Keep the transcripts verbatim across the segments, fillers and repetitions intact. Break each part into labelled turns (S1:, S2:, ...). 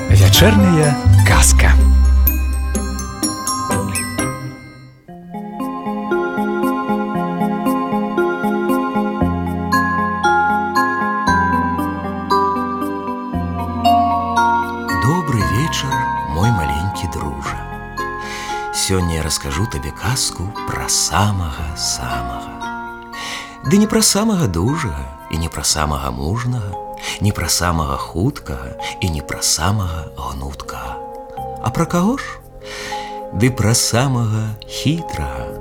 S1: Вечерняя казка.
S2: Добрый вечер, мой маленький друже. Сегодня я расскажу тебе казку про самого-самого. Да не про самого дужага и не про самого мужнага, не про самого хуткага и не про самого гнуткага. А про кого ж? Ды про самого хитрага.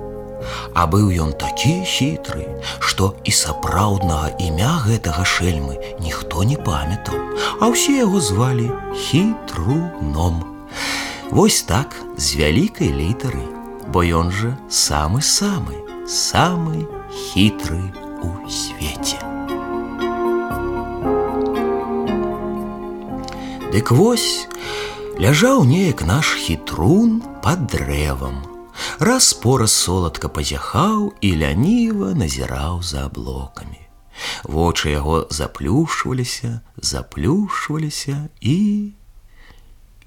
S2: А быў ён такі хітры, што і сапраўднага імя гэтага шэльмы ніхто не памятаў, а ўсе яго звалі Хітруном. Вось так, з вялікай літары, бо ён жа самы-самы, самы хітры у свеце. Дык вось, ляжаў неяк наш хітрун пад дрэвам. Раз-пораз соладка пазяхаў і ляніва назіраў за аблокамі. Вочы яго заплюшваліся, заплюшваліся і...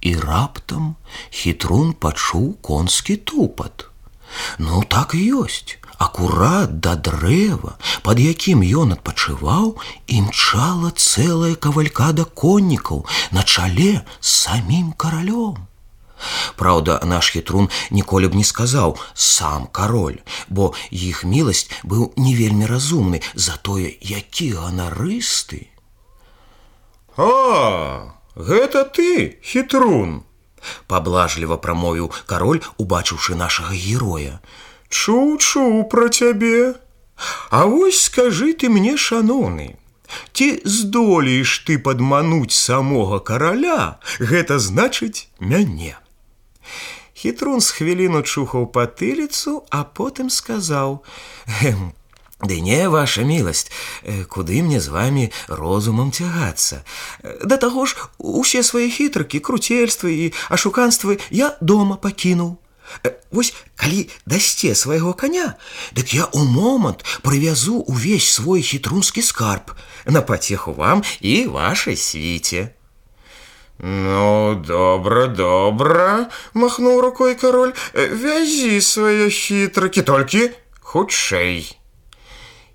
S2: І раптам хітрун пачуў конскі тупат. Ну, так і ёсць. Акурат да дрэва, пад якім ён адпачываў, імчала цэлая кавалькада коннікаў на чале з самім каралём. Праўда, наш хітрун ніколі б не сказаў «сам кароль», бо іх міласць быў не вельмі разумны, затое які ганарысты.
S3: «А, гэта ты, хітрун!»
S2: — паблажліва прамовіў кароль, убачыўшы нашага героя.
S3: «Чуў-чуў пра цябе. А вось скажы ты мне, шаноўны, ці здолееш ты падмануць самога караля, гэта значыць мяне?»
S2: Хітрун з хвіліну чухаў патыліцу, а потым сказаў: «Ды не, ваша міласць, куды мне з вамі розумам цягацца? Да таго ж, усе свае хітрыкі, круцельствы і ашуканствы я дома пакінуў. Вось калі дасце свайго коня, дык я ў момант прывязу увесь свой хітрунскі скарб на пацеху вам і вашай свіце».
S3: «Ну, добра, добра», — махнуў рукой кароль, «вязі свае хітрыкі, толькі хутчэй».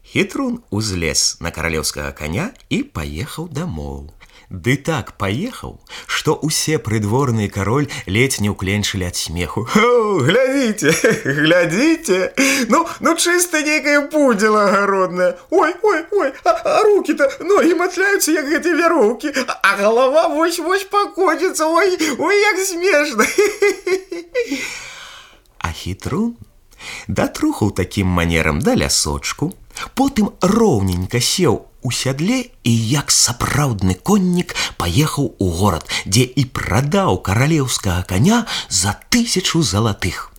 S2: Хітрун узлез на каралеўскага коня і паехаў дамоў. Ды так паехаў, што ўсе прыдворны кароль ледзь не ўкленчылі ад смеху.
S3: «О, глядзіце, глядзіце, ну, ну чыста нейкая пудзіла агародная. Ой, ой, ой, а, а рукі-то, ногі матляюцца, як гэтыя вяроўкі, а галава вось-вось пакоціцца, ой, ой, як смешна».
S2: А хітрун датрухаў такім манерам да лясочку, потым роўненька сеў у сядле і як сапраўдны коннік паехаў у горад, дзе і прадаў каралеўскага коня за тысячу залатых.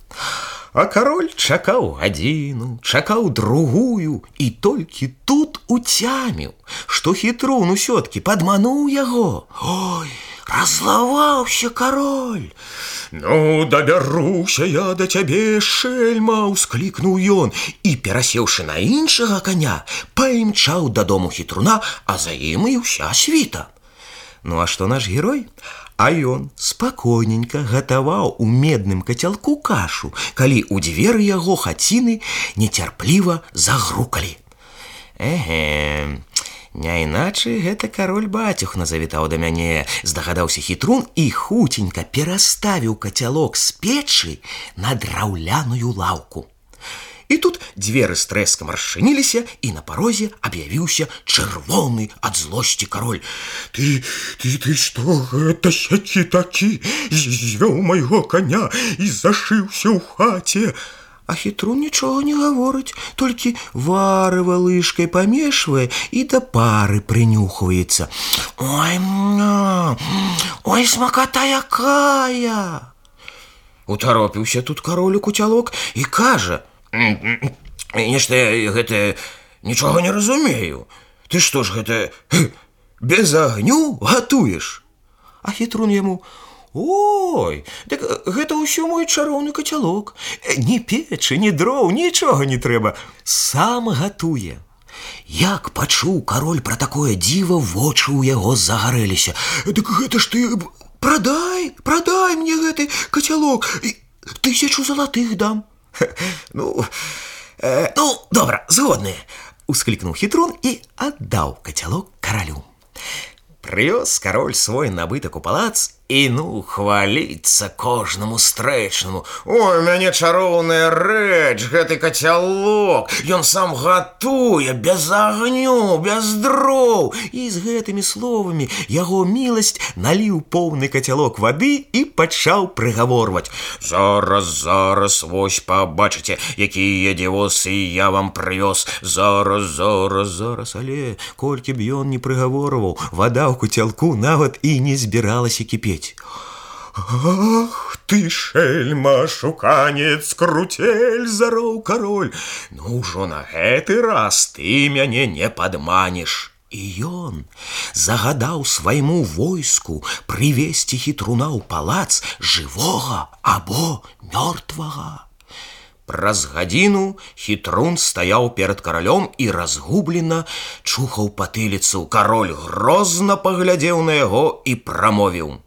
S2: А кароль чакаў гадзіну, чакаў другую і толькі тут уцяміў, што хітрун усё-ткі падмануў яго. Ой, раззлаваўся кароль.
S3: «Ну, дабяруся я да цябе, шэльма!» — усклікнуў ён і, перасеўшы на іншага коня, паімчаў дадому хітруна, а за ім і ўся світа.
S2: Ну, а што наш герой? А ён спакойненька гатаваў у медным кацялку кашу, калі ў дзверы яго хаціны нецярпліва загрукалі. Эге, не іначай гэта кароль-бацюхна завітаў да мяне, здагадаўся хітрун і хуценька пераставіў кацялок з печы на драўляную лаўку. І тут дзверы з трэскам расчыніліся, і на парозе аб'явіўся чырвоны ад злосці кароль.
S3: «Ты, ты, ты што гэта сякі такі? Звёў майго коня і зашыўся ў хаце».
S2: А хітрун нічога не гаворыць, толькі варыва лыжкай памешвае і да пары прынюхваецца. «Ой, ой, смаката якая!» Утаропіўся тут кароль у куцялок і кажа: «Нешта гэта нічога не разумею. Ты што ж гэта без агню гатуеш?» А хітрун яму: Ой, так гэта ўсё мой чароўны кацялок. Ні печы, ні дроў, нічога не трэба. Сам гатуе. Як пачуў кароль пра такое дзіва, вочы ў яго загарэліся. Дык гэта ж ты прадай, прадай мне гэты кацялок. Тысячу залатых дам. Ну, э, ну, добра, згодны. Усклікнуў хітрун і аддаў кацялок каралю. Прывёз кароль свой набытак у палац і, ну, хваліцца кожнаму стрэчнаму. Ой, у мяне чароўная рэч, гэты кацялок. Ён сам гатуе, без агню, без дроў. І з гэтымі словамі яго міласць наліў поўны кацялок вады і пачаў прыгаворваць. Зараз, зараз, вось пабачыце, якія дзівосы я вам прывёз. Зараз, зараз, зараз, але колькі б ён не прыгаворваў, вада ў кацялку нават і не збіралася кіпець. Ах ты, шельма, шуканец, крутель, зароў кароль. Ну ўжо на гэты раз ты мяне не падманеш. І ён загадаў свайму войску прывесці хітруна ў палац жывога або мёртвага. Праз гадзіну хітрун стаяў перад каралём і разгублена чухаў патыліцу. Кароль грозна паглядзеў на яго і прамовіў.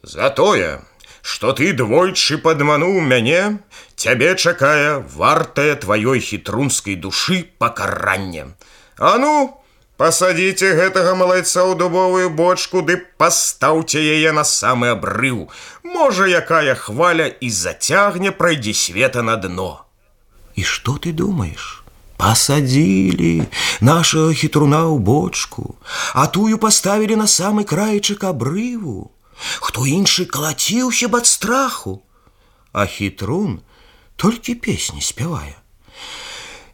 S2: За тое, што ты двойчы падмануў мяне, цябе чакае вартае тваёй хітрунскай душы пакаранне. А ну, пасадзіце гэтага малайца ў дубовую бочку ды пастаўце яе на самы абрыў. Можа, якая хваля і зацягне прайдзе света на дно. І што ты думаеш? Пасадзілі нашага хітруна ў бочку, а тую паставілі на самы краечак абрыву. Хто іншы калаціўся б ад страху, а хітрун толькі песні спявае.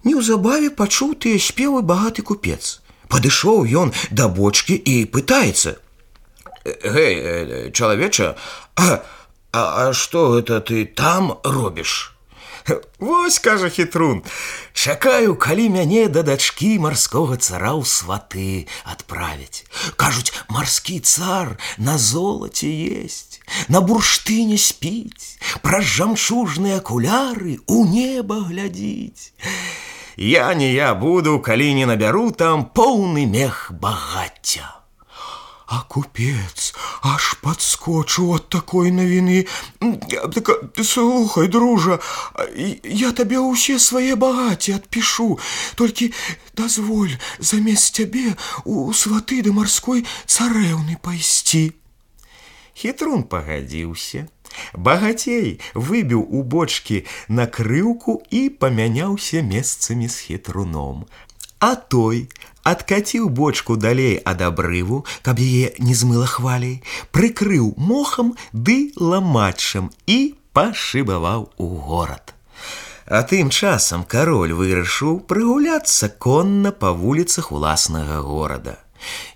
S2: Неўзабаве пачуў тыя спевы багаты купец. Падышоў ён да бочкі і пытаецца. Гэй, чалавеча, а, а, а што гэта ты там робіш? Вось, кажа хітрун, чакаю, калі мяне да дачкі марскога цара ў сваты адправяць. Кажуць, марскі цар на золаце есць, на бурштыне спіць, праз жамчужныя акуляры ў неба глядзіць. Я не я буду, калі не набяру там поўны мех багацця. А купец аж подскочыў ад такой навіны. Слухай, дружа, я табе ўсе свае багацці адпішу, толькі дазволь замест цябе у сваты да марской царэўны пайсці. Хітрун пагадзіўся. Багацей выбіў у бочкі накрыўку і памяняўся месцамі з хітруном. А той адкаціў бочку далей ад абрыву, каб яе не змыла хваляй, прыкрыў мохам ды ламачам і пашыбаваў у горад. А тым часам кароль вырашыў прыгуляцца конна па вуліцах уласнага горада.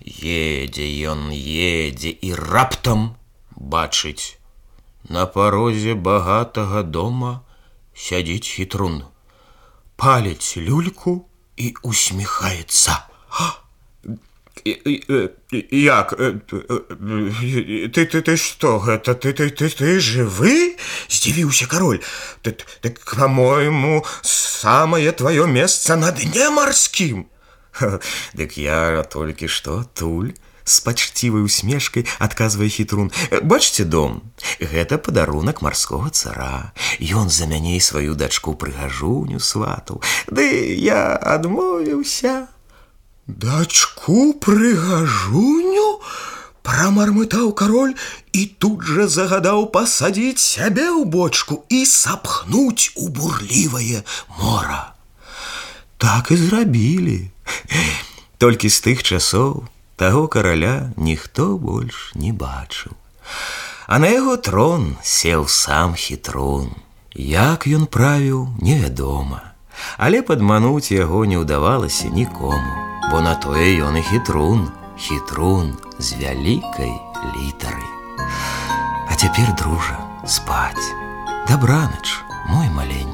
S2: Едзе ён, едзе і раптам бачыць. На парозе багатага дома сядзіць хітрун, паліць люльку і усміхаецца. Як? Ты, ты, ты што гэта? Ты, ты, ты, ты жывы? Здзівіўся кароль. Так, па-мойму, самае тваё месца на дне марскім. Дык я толькі што туль. З пачцівай усмешкай адказвае хітрун. Бачыце дом? Гэта падарунак марскога цара. Ён за мяне і сваю дачку прыгажуню сватаў. Ды я адмовіўся. Дачку прыгажуню? Прамармытаў кароль і тут жа загадаў пасадзіць сябе ў бочку і сапхнуць у бурлівае мора. Так і зрабілі. Толькі з тых часоў таго караля ніхто больш не бачыў. А на яго трон сеў сам хітрун. Як ён правіў, невядома. Але падмануць яго не ўдавалася нікому, бо на тое ён і хітрун, хітрун з вялікай літары. А цяпер, дружа, спаць. Дабранач, мой маленькі.